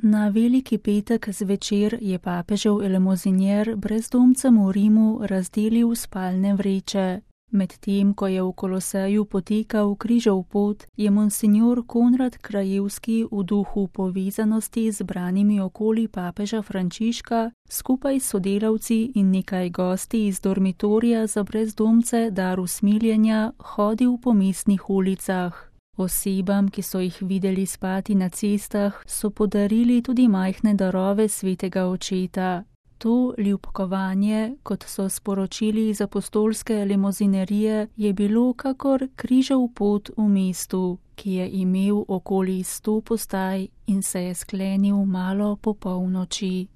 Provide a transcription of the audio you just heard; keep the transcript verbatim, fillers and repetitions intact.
Na veliki petek zvečer je papežev elemozinjer brezdomcem v Rimu razdelil spalne vreče. Medtem ko je v Koloseju potekal križev pot, je monsinjor Konrad Krajevski v duhu povezanosti z branimi okoli papeža Frančiška skupaj s sodelavci in nekaj gosti iz dormitorija za brezdomce Dar usmiljenja hodil po mestnih ulicah. Osebam, ki so jih videli spati na cestah, so podarili tudi majhne darove svetega očeta. To ljubkovanje, kot so sporočili iz apostolske elemozinerije, je bilo kakor križev pot v mestu, ki je imel okoli sto postaj in se je sklenil malo po polnoči.